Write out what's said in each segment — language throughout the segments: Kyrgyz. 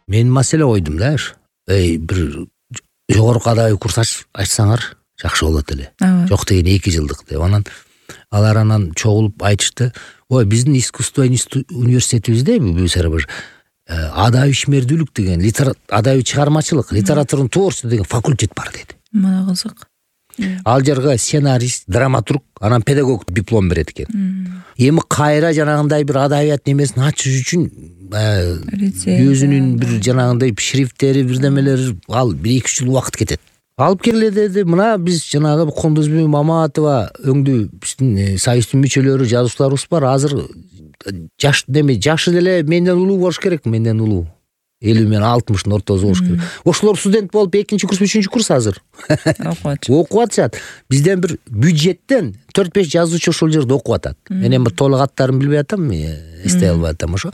Мен маселе койдум да. Бир жогорку адабий курс ачсаңар жакшы болот эле. Жок деген 2 жылдык деп. Алар чогулуп айтышты. Биздин искусство университетибизде бир адабий ишмердүүлүк деген, адабий чыгармачылык, литературный творчество деген факультет бар деди. Мына кызык. Ал жерге сценарист, драматург, анан педагог диплом берет экен. Эми кайра жанагындай бир адабият немесин ачыш үчүн өзүнүн бир жанагындай шрифттери, бирдемелери ал 1-2 жыл убакыт кетет. Алып келе деди. Мына биз жанагы Кондузбек Маматова өңдүү биздин союздун мүчөлөрү, жазуучуларыбыз бар. Азыр жашы деле менден улуу болуш керек, менден улуу. 50 менен 60-ын ортосу болуш керек. Ошолор студент болуп 2-курс, 3-курс азыр окуп атышат. Бизден бир бюджеттен 4-5 жазуучу ошол жерде окуп атат. Мен эми толук аттарын билбей атам, эстей албай атам. Ошо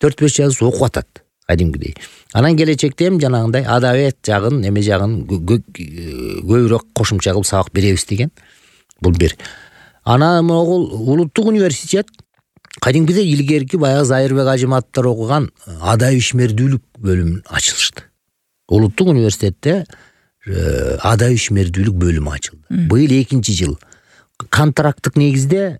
4-5 жазуучу окуп атат кадимкидей. Анан келечекте эми жанагындай адабият жагын, эме жагын көбүрөөк кошумча кылып сабак беребиз деген. Бул бир. Анан могул улуттук университет кадимкидей илгерки баягы Зайырбек Ажыматовдор окуган адабий ишмердүүлүк бөлүмүн ачылышты. Улуттук университетте адабий ишмердүүлүк бөлүмү ачылды. Быйыл 2-чи жыл. Контракттык негизде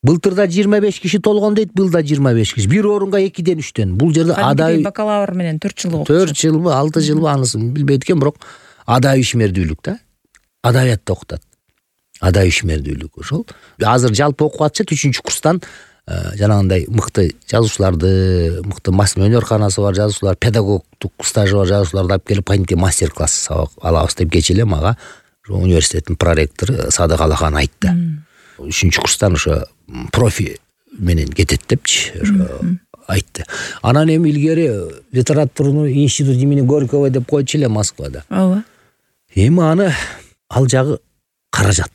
былтырда 25 киши толгон дейт, быйылда 25 киши. Бир орунга 2-ден 3-төн. Бул жерде адабий бакалавр менен 4 жыл окуп. 4 жылбы, 6 жылбы анысын билбейт экен, бирок адабий ишмердүүлүк да. Адабиятты окутат. Адабий ишмердүүлүк ошол. Азыр жалпы окуп атышат 3-чү курстан жанагындай мыкты жазуучуларды, мыкты өнөрканасы бар жазуучулар, педагогдук стажы бар жазуучуларды алып келип кантип мастер-класс сабак алабыз деп кечээ мага университеттин проректору Садык Алахан айтты. 3-чү курстан ошо профи менен кетет депчи айтты. Анан эми илгери литературный институт имени Горького деп койчу эле Москвада. Ооба. Эми ал жагы каражат.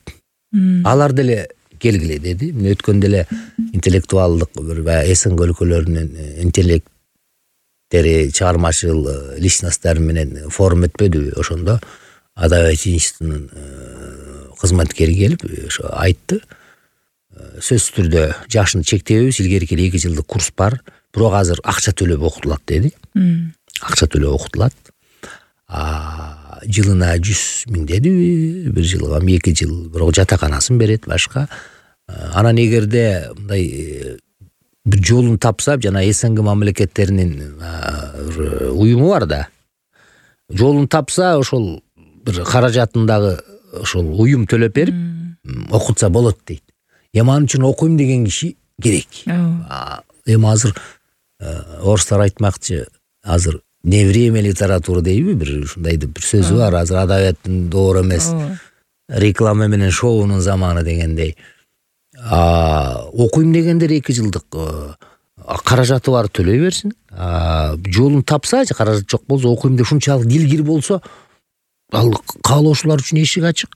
Алар деле келгиле деди. Мен өткөндө эле интеллектуалдык бир СНГ өлкөлөрүнүн интеллекттери, чыгармачыл личносттары менен форум өтпөдүбү? Ошондо адабият институтунун кызматкери келип ошо айтты. Сөзсүз түрдө жашын чектебейбиз, илгерки 2 жылдык курс бар, бирок азыр акча төлөп окутулат деди. Акча төлөп окутулат. Жылына 100 000 деди, бир жылга 2 жыл, бирок жатаканасын берет башка. Анан эгерде мындай бир жолун тапса, жана СНГ мамлекеттеринин уюму бар да. Жолун тапса, ошол бир каражатындагы ошол уюм төлөп берип окутса болот дейт. Эми анын үчүн окуйм деген киши керек. Эми азыр орустар айтмакчы, азыр не время литература дейби, бир ушундайды бир сөзү бар. Азыр адабияттын доору эмес, реклама менен шоунун заманы дегендей. Окуйм дегендер 2 жылдык каражаты бар төлөй берсин. Жолун тапса, каражат жок болсо, окуйм деп ушунчалык дилгир болсо, ал каалоочулар үчүн эшик ачык.